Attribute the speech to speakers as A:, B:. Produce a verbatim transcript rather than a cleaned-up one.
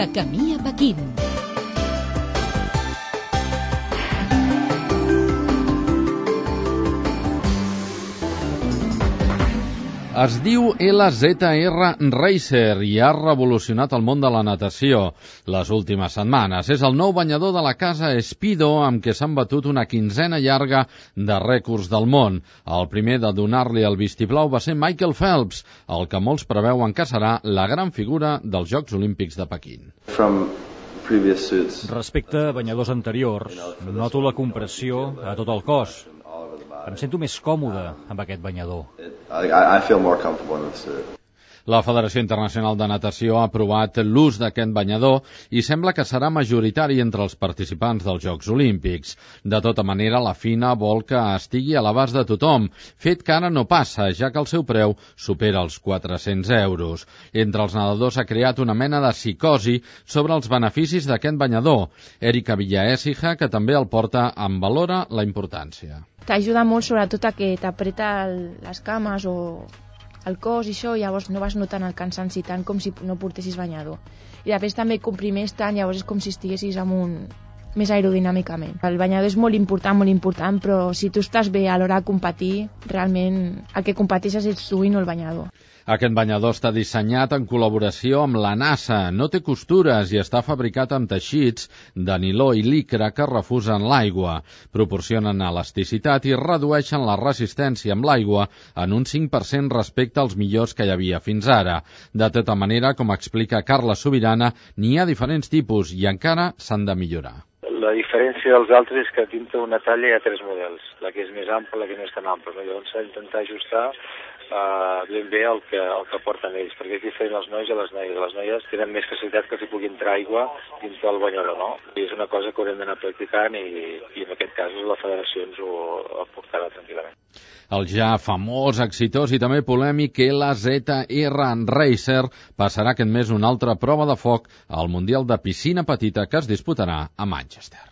A: De camí a Pequín.
B: Es diu L Z R Racer i ha revolucionat el món de la natació les últimes setmanes. És el nou banyador de la casa Speedo amb què s'han batut una quinzena llarga de rècords del món. El primer de donar-li el vistiplau va ser Michael Phelps, el que molts preveuen que serà la gran figura dels Jocs Olímpics de Pequín.
C: Respecte a banyadors anteriors, noto la compressió a tot el cos. Em sento més còmode amb aquest banyador.
B: La Federació Internacional de Natació ha aprovat l'ús d'aquest banyador i sembla que serà majoritari entre els participants dels Jocs Olímpics. De tota manera, la FINA vol que estigui a l'abast de tothom, fet que ara no passa, ja que el seu preu supera els quatre-cents euros. Entre els nedadors s'ha creat una mena de psicosi sobre els beneficis d'aquest banyador. Erika Villaécija, que també el porta, en valora la importància.
D: T'ajuda molt sobretot a que t'apreta les cames o el cos i això, llavors no vas notant el cansanci tant com si no portessis banyador. I després també comprimeix tant, llavors és com si estiguessis amunt més aerodinàmicament. El banyador és molt important, molt important, però si tu estàs bé a l'hora de competir, realment el que competeixes ets tu i no el banyador.
B: Aquest banyador està dissenyat en col·laboració amb la NASA, no té costures i està fabricat amb teixits de niló i licra que refusen l'aigua, proporcionen elasticitat i redueixen la resistència amb l'aigua en un cinc per cent respecte als millors que hi havia fins ara. De tota manera, com explica Carla Sobirana, n'hi ha diferents tipus i encara s'han de millorar.
E: La diferència dels altres és que dintre una talla hi ha tres models, la que és més ampla, la que no és tan ampla. No? Llavors s'ha d'intentar ajustar uh, ben bé el que, el que porten ells, perquè és diferent els nois i les noies. Les noies tenen més facilitat que s'hi pugui entrar aigua dins del banyador, no? I és una cosa que haurem d'anar practicant i, i en aquest cas la federació ens ho aportarà tranquil·lament.
B: El ja famós, exitós i també polèmic L Z R Racer passarà aquest mes una altra prova de foc al Mundial de Piscina Petita que es disputarà a Manchester.